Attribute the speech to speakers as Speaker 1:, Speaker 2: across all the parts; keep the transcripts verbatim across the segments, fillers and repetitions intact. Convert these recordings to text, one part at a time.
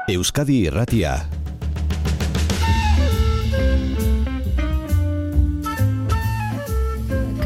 Speaker 1: Euskadi Irratia.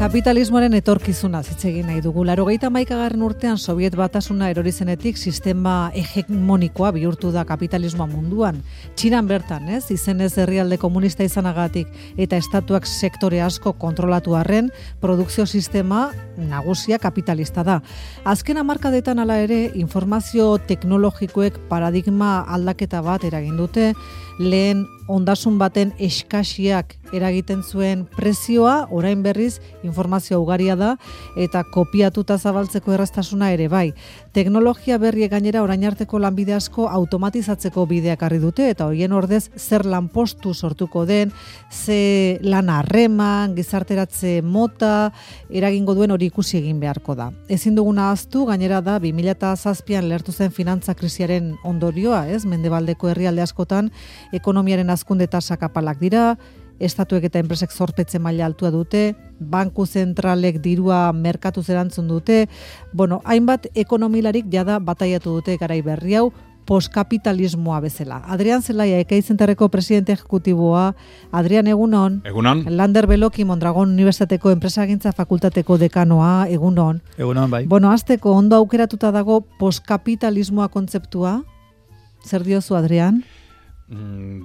Speaker 2: Kapitalismoaren etorkizuna hitz egin nahi dugu. Laurogeita hamaikagarren urtean Sobiet Batasuna erori zenetik sistema hegemonikoa bihurtu da kapitalismoa munduan. Txinan bertan, ez, izenez herrialde komunista izanagatik eta estatuak sektore asko kontrolatu arren, produkzio sistema nagusia kapitalista da. Azken hamarkadetan hala ere, informazio teknologikoek paradigma aldaketa bat eragin dute, lehen ondasun baten eskasiak eragiten zuen prezioa, orain berriz informazio ugaria da eta kopiatuta zabaltzeko erraztasuna ere bai. Teknologia berriek gainera orain arteko lanbide asko automatizatzeko bideak harri dute eta horien ordez zer lanpostu sortuko den, ze lan harreman, gizarteratze mota, eragingo duen hori ikusi egin beharko da. Ezin duguna ahaztu, gainera da bi mila zazpian lehertu zen finantza krisiaren ondorioa, ez? Mendebaldeko herrialde askotan ekonomiaren hazkunde tasak apalak dira, estatuek eta enpresek zorpetze maila altua dute, banku zentralek dirua merkatuz erantzun dute, bueno, hainbat ekonomilarik jada bataiatu dute garai berri hau, postkapitalismoa bezala. Adrian Zelaia, Ekai Zentarreko presidente ejecutiboa. Adrian, egunon.
Speaker 3: Egunon.
Speaker 2: Lander Beloki, Mondragon Unibertsitateko enpresagintza fakultateko dekanoa, egunon.
Speaker 3: Egunon, bai.
Speaker 2: Bueno, hasteko ondo aukeratuta dago postkapitalismoa kontzeptua. Zer diozu, Adrian?
Speaker 3: Mm,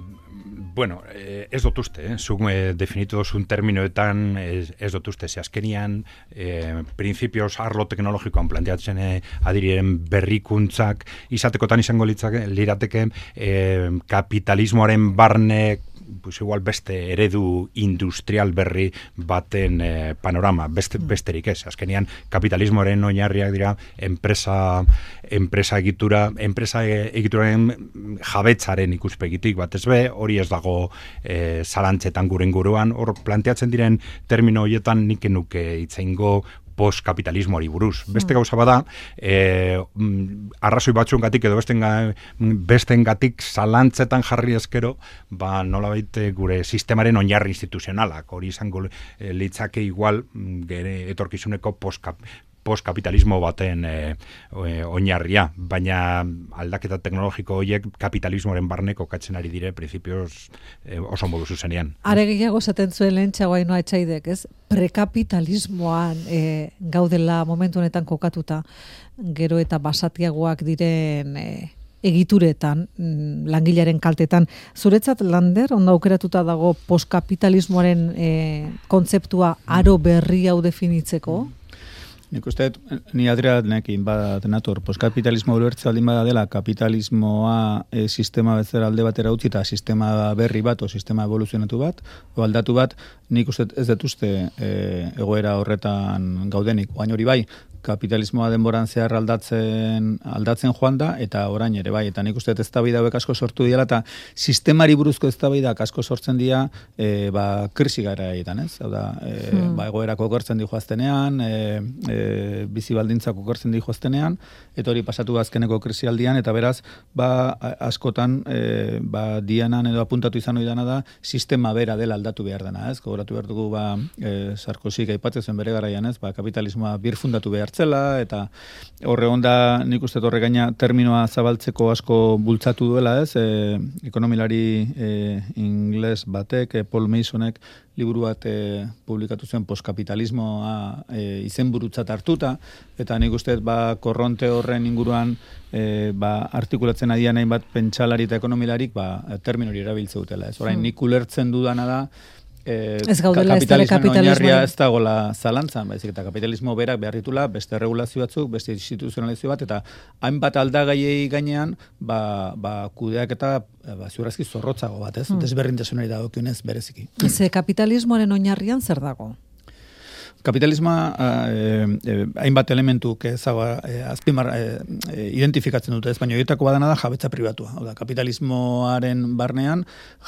Speaker 3: bueno, eh, ez dut uste, eh? Zuk eh, definitu dozun terminoetan ez, ez dut uste, ze azkenian eh, principios arlo teknologikoan planteatzen eh, adiriren berrikuntzak izatekotan izango litzake, lirateke eh, kapitalismoaren barne pues igual beste eredu industrial berri baten eh, panorama, beste, besterik ez. Azkenean kapitalismoaren oinarriak dira enpresa, enpresa egitura, enpresa egituraren jabetzaren ikuspegitik batez be, hori ez dago eh, zalantzetan gure inguruan, hor planteatzen diren termino horietan nik nuke itzeingo postkapitalismoari buruz. Beste gauza bada, eh, arrazoi batzuengatik edo bestenga, bestengatik zalantzetan jarri eskero, ba nolabait gure sistemaren oinarri instituzionalak, hori izango eh, litzake igual gere etorkizuneko postkap postkapitalismo baten e, e, oinarria, baina aldaketa teknologiko horiek kapitalismoaren barne kokatzen ari dire printzipioz e, oso modu zuzenean.
Speaker 2: Are gehiago esaten zuen lehen Txaguainoa Etxaidek, ez? Prekapitalismoan e, gaudela momentu honetan kokatuta, gero eta basatiagoak diren e, egituretan, langilearen kaltetan. Zuretzat, Lander, ondo aukeratuta dago postkapitalismoaren e, kontzeptua aro berri hau definitzeko?
Speaker 4: Nik uste, ni Adrianekin bat nator, postkapitalismo ulertze aldin bada dela, kapitalismoa e, sistema bezala alde batera utzi eta sistema berri bat, o sistema evoluzionatu bat, o aldatu bat, nik uste ez dut uste e, egoera horretan gaudenik, oain hori bai, kapitalismoa denboran zehar aldatzen aldatzen joan da, eta orain ere bai, eta nik uste eztabaida hauek asko sortu diela, eta sistemari buruzko eztabaidak asko sortzen dira, e, ba, krisi garaietan, ez? Hau da, e, hmm. ba, egoerako okertzen di joaztenean, e, e, bizi baldintzak okertzen di joaztenean, eta hori pasatu azkeneko krisialdian, eta beraz, ba, askotan, e, ba, dianan edo apuntatu izan hori dana da, sistema bera dela aldatu behar dena, ez? Gogoratu behar dugu, ba, e, Sarkozyk aipatzen zuen bere garaian, ez? Ba, kapitalismoa birfundatu behar zela, eta horre onda nik uste horre gaina terminoa zabaltzeko asko bultzatu duela, ez? E, ekonomilari e, ingles batek, e, Paul Masonek liburu bat e, publikatu zen postkapitalismoa e, izenburutzat hartuta, eta nik uste ba, korronte horren inguruan e, ba, artikulatzen adian hainbat pentsalari eta ekonomilarik ba, termino hori erabiltze dutela, ez? Orain nik ulertzen dudana da Eh,
Speaker 2: ez gaudela ez dara kapitalismoa
Speaker 4: ez dagoela zalantzan, baizik eta kapitalismo berak behar ditula beste regulazio batzuk, beste instituzionalizio bat, eta hainbat aldagaiei gainean ba, ba, kudeak eta ba, ziurrazki zorrotzago bat, ez? Hmm. Desberdintasunari dagokionez bereziki.
Speaker 2: Ze kapitalismoaren oinarrian zer dago?
Speaker 4: Kapitalismoa eh, eh, hainbat elementuk ezaga eh, azpimar eh, identifikatzen dute, ez baina horietako badana da jabetza pribatua. Hau da, kapitalismoaren barnean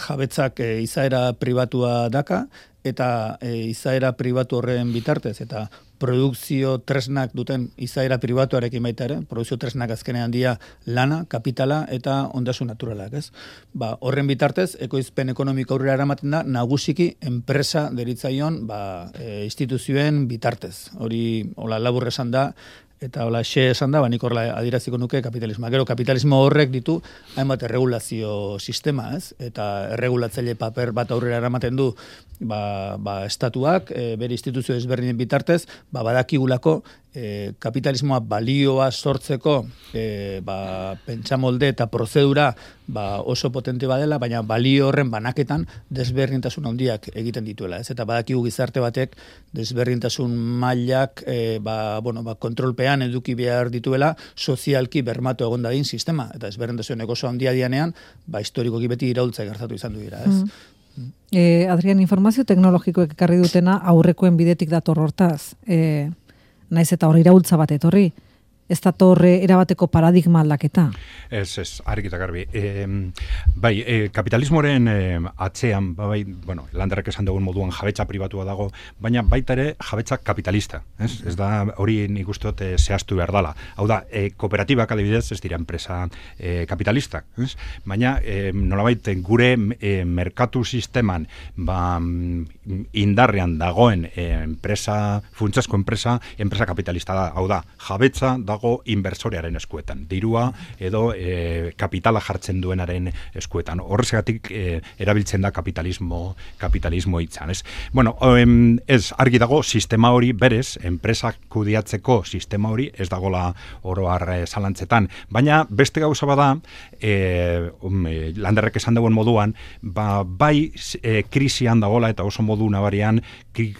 Speaker 4: jabetzak eh, izaera pribatua daka, eta e, izaera pribatu horren bitartez, eta produkzio tresnak duten izaera pribatuarekin baita ere, produkzio tresnak azkenean dia lana, kapitala eta ondasun naturalak, ez? Ba, horren bitartez, ekoizpen ekonomiko aurrera eramaten da, nagusiki enpresa deritzaion ba, e, instituzioen bitartez. Hori, hola labur esan da, Eta hola, xe esan da, ba, nik horrela adiraziko nuke kapitalismoa. Gero, kapitalismo horrek ditu hainbat erregulazio sistema, ez? Eta erregulatzaile paper bat aurrera eramaten du ba, ba, estatuak, e, bere instituzio ezberdinen bitartez, ba, badakigulako e, kapitalismoa balioa sortzeko e, ba, pentsamolde eta prozedura ba, oso potente badela, baina balio horren banaketan desberdintasun handiak egiten dituela, ez? Eta badakigu gizarte batek desberdintasun mailak e, ba, bueno, ba, kontrolpean eduki behar dituela sozialki bermatu egon dadin sistema, eta desberdintasunek oso handia dianean, ba, historikoki beti iraultza gertatu izan du dira, ez? Mm.
Speaker 2: Eh, Adrian, informazio teknologikoek ekarri dutena aurrekoen bidetik dator hortaz. Eh, naiz eta hor iraultza bat etorri. Ez datorre erabateko paradigma aldaketa.
Speaker 3: Ez, ez, argita garbi. E, bai, e, kapitalismoren e, atzean, bai, bueno, landerrek esan dugun moduan jabetza pribatua dago, baina baita ere jabetza kapitalista. Ez, ez da hori nik uste dut e, zehaztu behar dela. Hau da, e, kooperatibak adibidez ez dira enpresa e, kapitalistak. Ez? Baina e, nolabait gure e, merkatu sisteman ba, indarrean dagoen e, enpresa, funtsasko enpresa, enpresa kapitalista da. Hau da, jabetza dago inbersorearen eskuetan, dirua edo e, kapitala jartzen duenaren eskuetan. Horregatik e, erabiltzen da kapitalismo kapitalismo hitzan, ez? Bueno, em, ez argi dago sistema hori berez, enpresak kudeatzeko sistema hori ez dagola oro har zalantzetan, baina beste gauza bada, e, um, e, landerrek esan dagoen moduan, ba, bai e, krisian dagola eta oso modu nabarian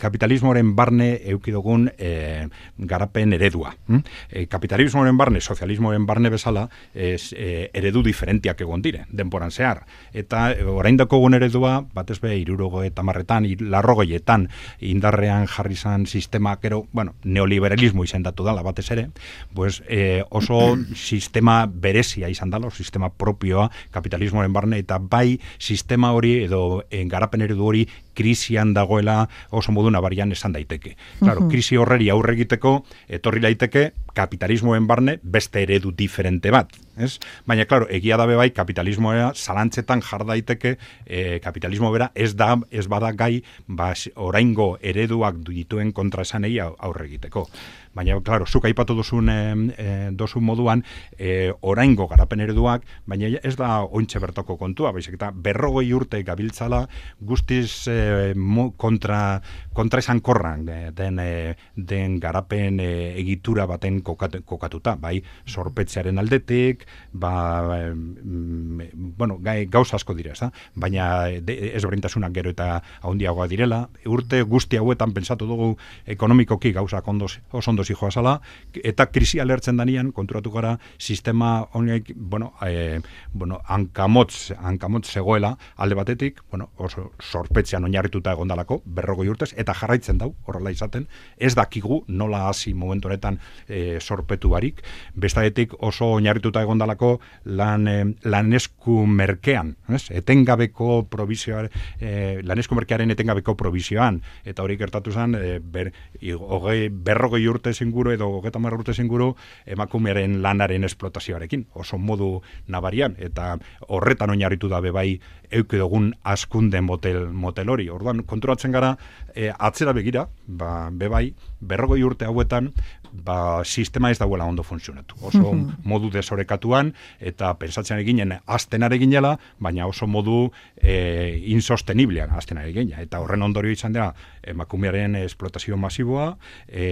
Speaker 3: kapitalismoaren barne eukidogun e, garapen eredua. Hm? E, kapitalismoaren barne, sozialismoaren barne bezala, ez, e, eredu diferentiak egon dire, denporan zehar. Eta e, oraindako egun eredua, batez be, irurogo eta marretan, larrogeietan indarrean jarri zan sistema, gero, bueno, neoliberalismo izendatu dala batez ere, pues, e, oso sistema berezia izan dala, sistema propioa kapitalismoaren barne, eta bai sistema hori edo e, garapen eredu hori krisian dagoela oso modu nabarian esan daiteke. Claro, krisi horreri aurre egiteko etorri daiteke kapitalismoen barne beste eredu diferente bat, ez? Baina claro, egia da bai kapitalismoa zalantzetan jar daiteke, e, kapitalismo bera ez da ez bada gai ba, oraingo ereduak dituen kontraesanei aurre egiteko. Baina, claro, zuk aipatu duzun, e, e, duzun moduan, e, oraingo garapen ereduak, baina ez da ointxe bertoko kontua, baizik eta berrogei urte gabiltzala guztiz e, mo, kontra, kontra esan korran den, e, den garapen e, egitura baten kokat, kokatuta, bai, sorpetzearen aldetik, ba, e, bueno, gai, gauz asko dira, ez da? Baina de, ez berintasunak gero eta handiagoa direla, urte guzti hauetan pentsatu dugu ekonomikoki gauzak ondoz, oso ondo zijoa zala, eta krisi alertzen danian, konturatu gara, sistema honek, bueno, e, bueno, hankamotz, hankamotz zegoela, alde batetik, bueno, oso sorpetzean oinarrituta egondalako, berrogei urtez, eta jarraitzen dau, horrela izaten, ez dakigu nola hasi momentu honetan e, sorpetu barik, bestadetik oso oinarrituta egondalako lan, e, lanesku merkean, ez? Etengabeko provizioa, e, lanesku merkearen etengabeko provizioan, eta hori gertatu zen, e, ber, hogei, berrogei urte zinguru edo hogeita hamar urte zinguru emakumearen lanaren esplotazioarekin, oso modu nabarian, eta horretan oinarritu da bebai eukidogun askunde motel, motel hori. Orduan, konturatzen gara, e, atzera begira, ba, bebai, berrogei urte hauetan, ba, sistema ez dauela ondo funtzionatu. Oso mm-hmm. modu desorekatuan, eta pensatzen eginen aztenare ginela, baina oso modu e, insosteniblean aztenare ginela. Eta horren ondorio izan dira, emakumearen esplotazio masiboa, e,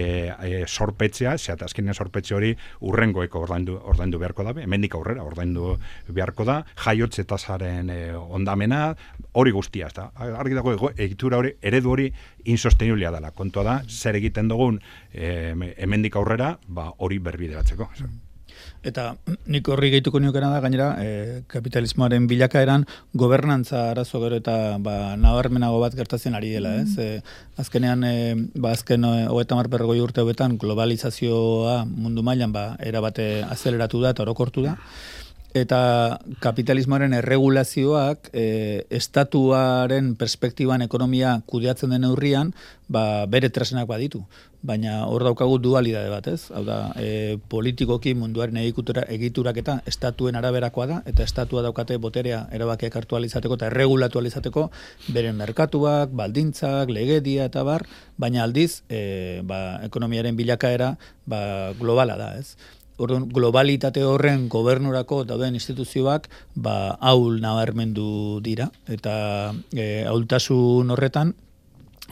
Speaker 3: e, sorpetzea, zeat azkenean sorpetze hori urrengoeko ordaindu, ordaindu beharko da, hemendik aurrera ordaindu beharko da, jaiotze tasaren e, ondamena, hori guztia, ez da. Argi dago, egitura hori, eredu hori insosteniblea dela. Kontua da, zer egiten dugun e, hemendik aurrera, ba, hori berbideratzeko.
Speaker 4: Eta nik horri gehituko niokena da, gainera, e, kapitalismoaren bilakaeran gobernantza arazo gero eta ba, nabarmenago bat gertatzen ari dela, ez? E, azkenean, e, ba, azken hogeita hamar berrogei urte hauetan globalizazioa mundu mailan ba, erabate azeleratu da eta orokortu da. eta kapitalismoaren erregulazioak e, estatuaren perspektiban ekonomia kudeatzen den neurrian, ba, bere tresnak baditu. Baina hor daukagu dualidade bat, ez? Hau da, e, politikoki munduaren egitura, egiturak eta estatuen araberakoa da, eta estatua daukate boterea erabakiak hartu alizateko eta erregulatu alizateko beren merkatuak, baldintzak, legedia eta bar, baina aldiz, e, ba, ekonomiaren bilakaera ba, globala da, ez? Orduan, globalitate horren gobernurako dauden instituzioak ba, ahul nabarmendu dira, eta e, ahultasun horretan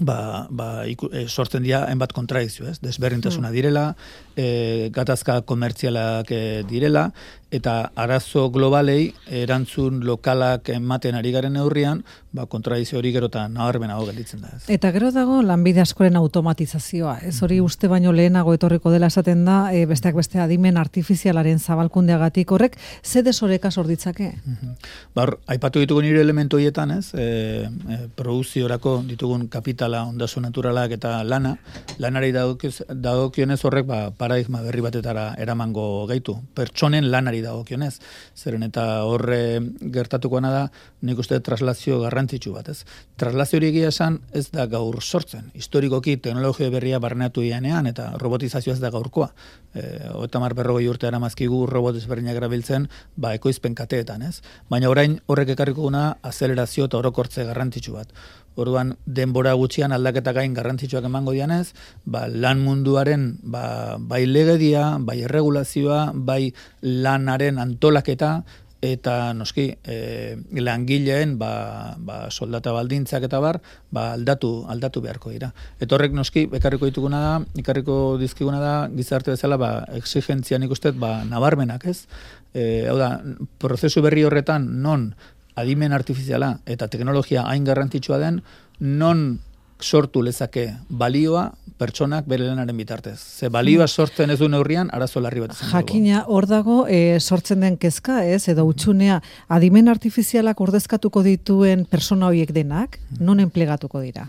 Speaker 4: ba, ba, iku, e, sortzen dira hainbat kontradikzio, ez? Desberdintasuna direla, e, gatazka komertzialak e, direla, eta arazo globalei erantzun lokalak ematen ari garen neurrian, ba, kontradizio hori gero eta nabarmenago gelditzen da. Ez.
Speaker 2: Eta gero dago lanbide askoren automatizazioa. Ez hori uste baino lehenago etorriko dela esaten da, e, besteak beste adimen artifizialaren zabalkundeagatik horrek, ze desoreka sorditzake?
Speaker 4: Mm-hmm. Bar, aipatu ditugun nire elementu horietan, ez? E, e, produziorako ditugun kapitala, ondasun naturalak eta lana, lanari dagokionez horrek ba, paradigma berri batetara eramango gaitu. Pertsonen lanari dagokionez. Zeren eta horre gertatukoana da, nik uste traslazio garrantzitsu bat, ez? Traslazio hori egia esan ez da gaur sortzen. Historikoki teknologia berria barneatu ianean eta robotizazioa ez da gaurkoa. E, Otamar berrogei urte aramazkigu robot ezberdinak erabiltzen, ba, ekoizpen kateetan, ez? Baina orain horrek ekarriko guna azelerazio eta orokortze garrantzitsu bat. Orduan, denbora gutxian aldaketa gain garrantzitsuak emango dianez, ba, lan munduaren ba, bai legedia, bai erregulazioa, bai lanaren antolaketa, eta noski e, langileen ba, ba, soldata baldintzak eta bar, ba, aldatu, aldatu beharko dira. Eta horrek noski, ekarriko dituguna da, ikarriko dizkiguna da, gizarte bezala, ba, exigentzia nik uste, ba, nabarmenak, ez? E, hau da, prozesu berri horretan, non, adimen artifiziala eta teknologia hain garrantzitsua den, non sortu lezake balioa pertsonak bere lanaren bitartez. Ze balioa sortzen ez du neurrian, arazo larri bat izango.
Speaker 2: Jakina, hor dago e, sortzen den kezka, ez, edo utxunea, adimen artifizialak ordezkatuko dituen persona horiek denak, non enplegatuko dira?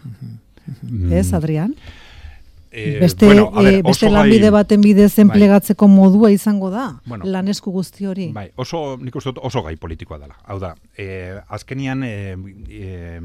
Speaker 2: Ez, Adrián?
Speaker 3: Eh,
Speaker 2: beste
Speaker 3: bueno, a ver,
Speaker 2: eh, beste
Speaker 3: oso
Speaker 2: lanbide
Speaker 3: gai,
Speaker 2: enplegatzeko bidez enplegatzeko bai, modua izango da,
Speaker 3: bueno,
Speaker 2: lanesku guzti hori.
Speaker 3: Bai, oso, nik uste dut oso gai politikoa dela. Hau da, eh, azkenian eh, eh,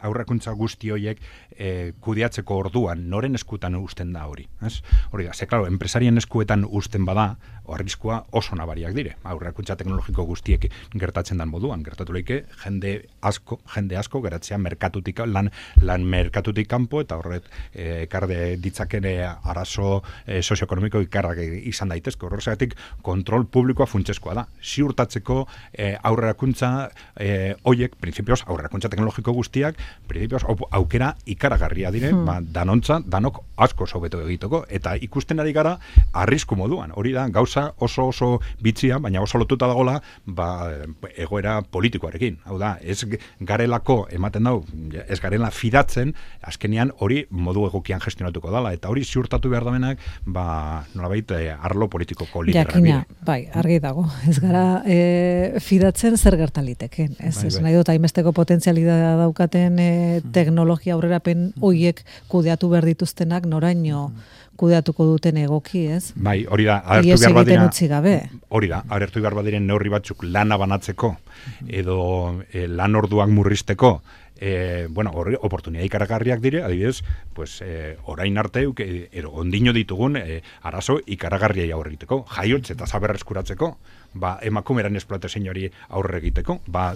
Speaker 3: aurrakuntza guzti horiek eh, kudeatzeko orduan noren eskutan usten da hori. Ez? Hori da, ze, klaro, enpresarien eskuetan usten bada, arriskua oso nabariak dire. Aurrakuntza teknologiko guztiek gertatzen dan moduan. Gertatu leike, jende asko, jende asko geratzea merkatutik, lan, lan merkatutik kanpo, eta horret eh, ekarde ditzakene arazo eh, sozioekonomiko ikarrak izan daitezke. Horregatik kontrol publikoa funtsezkoa da. Ziurtatzeko eh, aurrerakuntza eh, hoiek, printzipioz, aurrerakuntza teknologiko guztiak, printzipioz, aukera ikaragarria dire, hmm. ba, danontza, danok asko sobeto egiteko, eta ikusten ari gara arrisku moduan. Hori da, gauza oso oso bitzia, baina oso lotuta dagola, ba, egoera politikoarekin. Hau da, ez garelako ematen dau, ez garela fidatzen, azkenean hori modu egokian gestionatuko dala, eta hori ziurtatu behar damenak, ba, nolabait, eh, arlo politikoko liderrak.
Speaker 2: Jakina, bai, argi dago. Ez gara eh, fidatzen zer gertaliteken. Ez, bai, ez bai. Nahi dut, hainbesteko potentzialidadea daukaten eh, teknologia aurrerapen hoiek kudeatu behar dituztenak noraino kudeatuko duten egoki, ez?
Speaker 3: Bai, hori da, agertu behar badira,
Speaker 2: utzi gabe.
Speaker 3: Hori da, agertu behar badiren neurri batzuk lana banatzeko, edo eh, lan orduak murrizteko, Eh, bueno, horri oportunidad ikaragarriak dire, adibidez, pues, eh, orain arte, eh, ero, ondino ditugun eh, arazo ikaragarriai aurre egiteko, jaiotz eta zaberra eskuratzeko, ba, emakumeran esploatezin hori aurre egiteko, ba,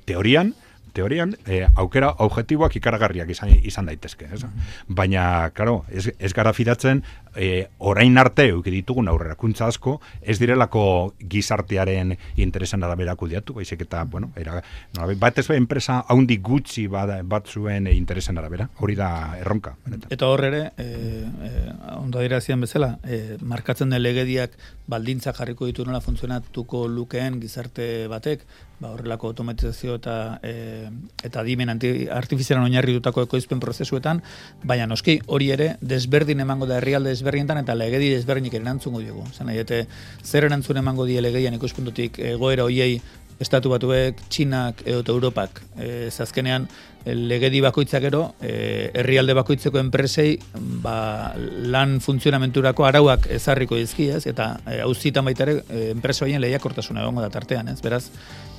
Speaker 3: teorian, teorian, eh, aukera objektiboak ikaragarriak izan, izan daitezke. Ez? Baina, claro, ez, ez gara fidatzen, eh, orain arte euki ditugun aurrerakuntza asko, ez direlako gizartearen interesen arabera kudeatu, baizik eta, bueno, era, no, bat ez enpresa haundi gutxi bat, bat zuen interesen arabera, hori da erronka. Benetan.
Speaker 4: Eta hor ere, eh, eh, ondo dira zian bezala, eh, markatzen den legediak baldintzak jarriko ditu nola funtzionatuko lukeen gizarte batek, ba, horrelako automatizazio eta e, eta adimen artifizialan oinarritutako ekoizpen prozesuetan, baina noski hori ere desberdin emango da herrialde desberdinetan eta legedi desberdinik erantzungo diogu. Zena, ete, zer erantzun emango die legedian ikuspuntutik egoera hoiei Estatu Batuek, Txinak edo Europak, e, azkenean legedi bakoitzak gero, e, herrialde bakoitzeko enpresei ba, lan funtzionamenturako arauak ezarriko dizki, ez? Eta e, auzitan baita ere e, enpresa horien lehiakortasuna egongo da tartean, ez? Beraz,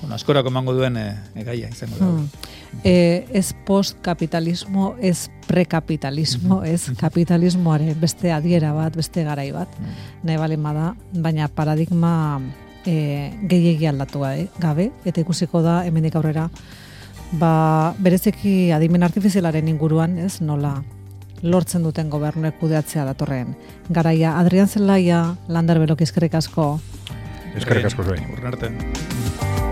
Speaker 4: bueno, askorako emango duen e, e, gaia izango da.
Speaker 2: Hmm. E, ez postkapitalismo, ez prekapitalismo, ez kapitalismoaren beste adiera bat, beste garai bat, nahi bali bada, baina paradigma e, gehiegi aldatu gabe, eta ikusiko da hemendik aurrera, ba, berezeki adimen artifizialaren inguruan, ez, nola lortzen duten gobernuek kudeatzea datorren garaia. Adrian Zelaia, Lander Beloki, eskerrik asko.
Speaker 3: Eskerrik asko zuei.
Speaker 4: Urren arte.